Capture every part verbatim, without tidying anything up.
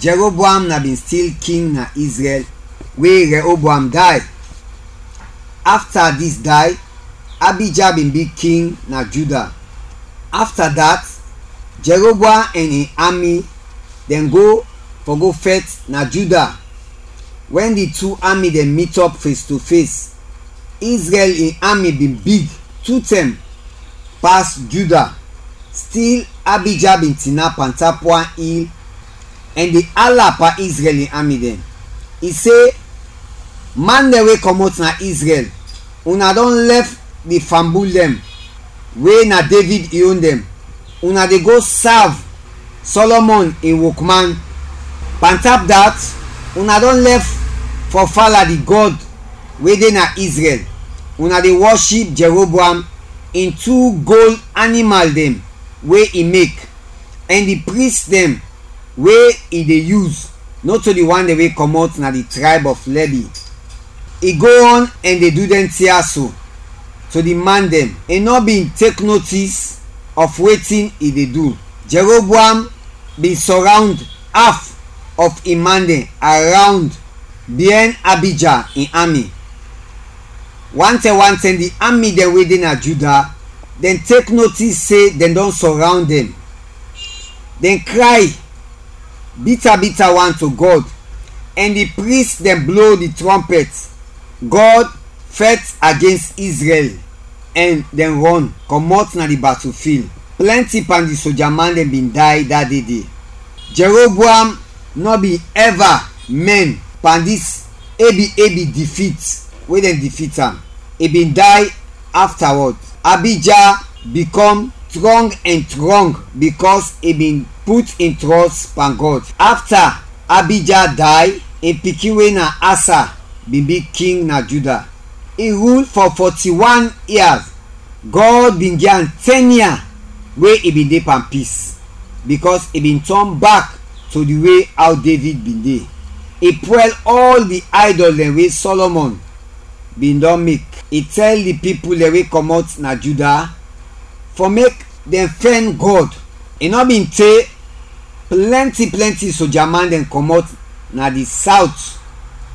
Jeroboam na bin stil king na Israel we Rehoboam day. Afta dis day, Abija bin bi king na Juda. Afta dat, Jeroboam ɛn in ami dɛn go fɔ go fɛt na Juda. Wɛn di tu ami dɛn mitɔp fes to fes, Izrɛl in ami bin big tu tɛm pas Juda. Stil, Abija bin tinap pantap wan il ɛn de ala pan Izrɛl in ami dɛn. I se, man dɛn we kɔmɔt na Izrɛl, una dɔn lɛf di fambul dɛn we na Devid in on dɛn, una de go sav Sɔlɔmɔn in wokman. Pantap dat, una dɔn lɛf fɔ fala di gɔd we de na Izrɛl, una de wɔship Jeroboam in tu gol animal dɛn we i mek, ɛn di pris dɛn we i de yus, nɔto di wan dɛn we kɔmɔt na di trayb ɔf Lɛbi. I go ɔn ɛn de du dɛn tin ya so to di man dɛn. I nɔ bin tek notis ɔf wetin i de du. Jeroboam bin sɔrawnd af ɔf in man dɛn arawnd biɛn Abija in ami. Wantɛm wantɛm di ami dɛn we de na Juda, dɛn tek notis se dɛn dɔn sɔrawnd dɛn. Dɛn kray bita bita wan to Gɔd, ɛn di pris dɛn blo di trɔmpɛt. Gɔd fɛt agens Izrɛl, ɛn dɛn rɔn kɔmɔt na di batufil. Plɛnti pan di soja man dɛn bin day da de de. Jeroboam nɔ bin ɛva mɛn pan dis ebi ebi difit we dɛn difit am. I bin day aftawɔd. Abija bikɔm trɔng ɛn trɔng bikɔs i bin put in trɔs pan Gɔd. Afta Abija day, in pikin we na Asa bin bi king na Juda. I rul fɔ fɔti-wan yias. Gɔd bin gi am tɛn yia we i bin de pan pis, bikɔs i bin tɔn bak to di we aw Devid bin de. I pwɛl ɔl di aydɔl dɛn we Sɔlɔmɔn bin dɔn mek. I tɛl di pipul dɛn we kɔmɔt na Juda fɔ mek dɛn fɛn Gɔd. I nɔ bin te, plɛnti plɛnti soja man dɛn kɔmɔt na di sawt,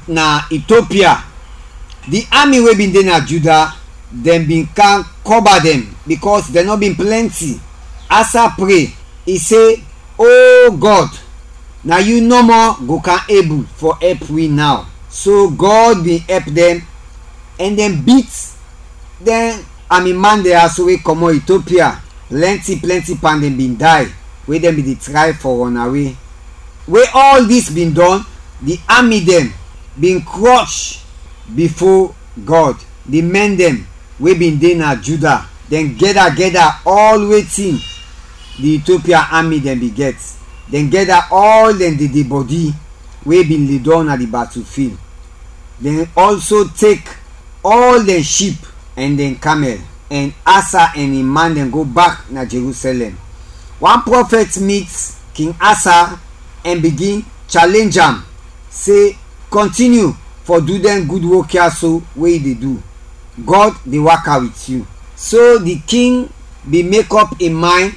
na Itiopia. Di ami we bin de na Juda, dɛn bin kam kɔba dɛn, bikɔs dɛn nɔ bin plɛnti. Asa pre, i se, "O Gɔd, na yu nɔmɔ go kam ebul fɔ ɛp wi naw." So Gɔd bin ɛp dɛn, ɛn dɛn bit dɛn ami man dɛn ya so we kɔmɔt Itiopia. Plɛnti plɛnti pan dɛn bin day, we dɛn bin de tray fɔ rɔnawe. We ɔl dis bin dɔn, di ami dɛn bin krɔsh bifo Gɔd. Di mɛn dɛn we bin de na Juda, dɛn gɛda gɛda ɔl wetin di Itiopia ami dɛn bin gɛt. Dɛn gɛda ɔl dɛn dede bɔdi we bin ledɔng na di batufil. Dɛn ɔlso tek ɔl dɛn ship ɛn dɛn kamɛl, ɛn Asa ɛn in man dɛn go bak na Jerusɛlɛm. Wan prɔfɛt mit King Asa ɛn bigin chalenj am se, "Kɔntiniu fɔ du dɛn gud wok ya so we yu de du. Gɔd de waka wit yu." So di king bin mekɔp in maynd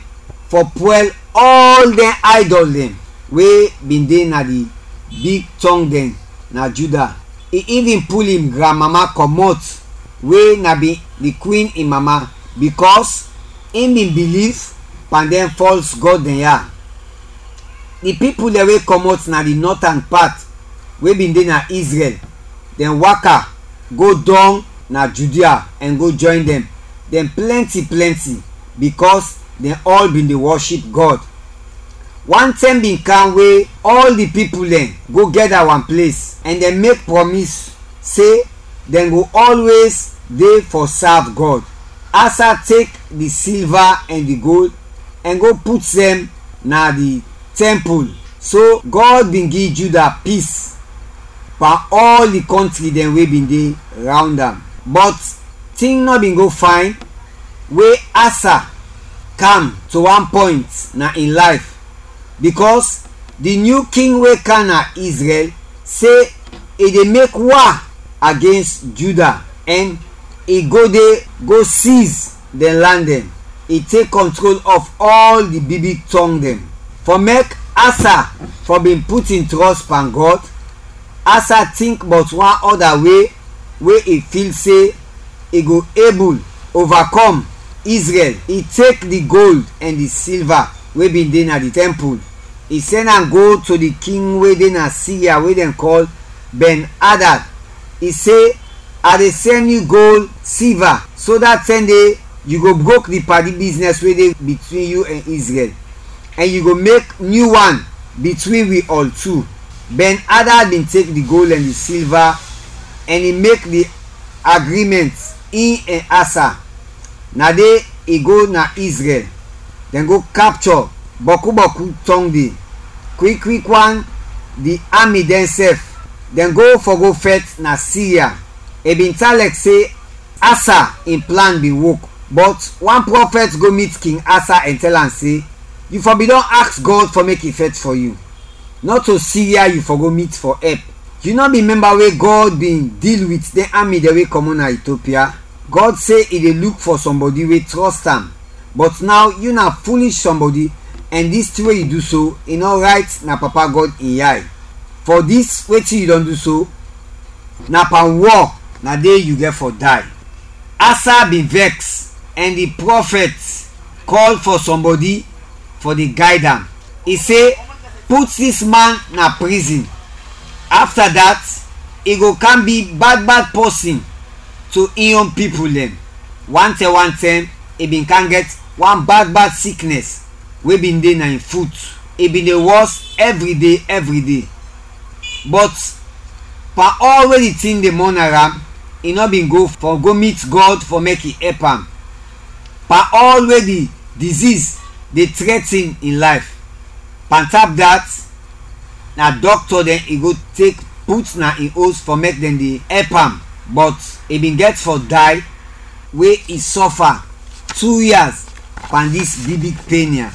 fɔ pwɛl ɔl dɛn aydɔl dɛn we bin de na di big tɔng dɛn na Juda. I ivin pul in granmama kɔmɔt, we na bin di kwin in mama, bikɔs in bin biliv pan dɛn fɔls gɔd dɛn ya. Di pipul dɛn we kɔmɔt na di nɔtan pat we bin de na Izrɛl, dɛn waka go dɔng na Judia ɛn go jɔyn dɛn. Dɛn plɛnti plɛnti, bikɔs dɛn ɔl bin de wɔship Gɔd. Wan tɛm bin kam we ɔl di pipul dɛn go gɛda wan ples, ɛn dɛn mek prɔmis se dɛn go ɔlwes de fɔ sav Gɔd. Asa tek di silva ɛn di gold ɛn go put dɛn na di tɛmpul. So Gɔd bin gi Juda pis pan ɔl di kɔntri dɛn we bin de rawnd am. Bɔt tin nɔ bin go fayn we Asa kam to wan pɔynt na in layf, bikɔs di nyu king we kam na Izrɛl se i de mek wa agens Juda ɛn i go de go siz dɛn lan dɛn. I tek kɔntrol ɔf ɔl di big big tɔng dɛn. Fɔ mek Asa fɔ bin put in trɔs pan Gɔd. Asa tink bɔt wan ɔda we we i fil se i go ebul ovakɔm Izrɛl. I tek di gold ɛn di silva we bin de na di tɛmpul, i sɛn am go to di king we de na Siria we dɛn kɔl Ben-Adad. I se, "A de sɛn yu gold, silva, so dat tɛn de yu go brok di padi biznɛs we de bitwin yu ɛn Izrɛl, ɛn yu go mek nyu wan bitwin wi ɔl tu." Ben-Adad bin tek di gold ɛn di silva ɛn i mek di agrimɛnt, in ɛn Asa. Na de i go na Izrɛl. Dɛn go kapchɔ bɔku bɔku tɔng de, kwik kwik wan, di ami dɛnsɛf. Dɛn go fɔ go fɛt na Siria. I bin tan lɛk se Asa in plan bin wok. Bɔt wan prɔfɛt go mit King Asa ɛn tɛl am se, "Yu fɔ bin dɔn aks Gɔd fɔ mek i fɛt fɔ yu. Nɔto Siria yu fɔ go mit fɔ ɛp. Yu nɔ bin mɛmba we Gɔd bin dil wit dɛn ami dɛn we kɔmɔt na Itiopia? Gɔd se i de luk fɔ sɔmbɔdi we trɔst am. Bɔt naw yu na fulish sɔmbɔdi, ɛn dis tin we yu du so, i nɔ rayt na Papa Gɔd in yay. Fɔ dis wetin yu dɔn du so, na pan wɔ na de yu gɛt fɔ day." Asa bin vɛks, ɛn di prɔfɛt kɔl fɔ sɔmbɔdi fɔ de gayd am. I se, "Put dis man na prizin. Afta dat, i go kam bi bad bad pɔsin to in yon pipul dɛn." Wantɛm wantɛm, i bin kam gɛt wan bad bad siknɛs we bin de na in fut. I bin de wɔs ɛvri de, ɛvri de. Bɔt pan ɔl we di tin de mɔna am, i nɔ bin go fɔ go mit Gɔd fɔ mek i ɛp am. Pan ɔl we di diziz de trɛtin in layf. Pantap dat, na dɔkta dɛn i go tek put na in os fɔ mek dɛn de ɛp am, bɔt i bin gɛt fɔ day we i sɔfa tu yas pan dis big big pen ya.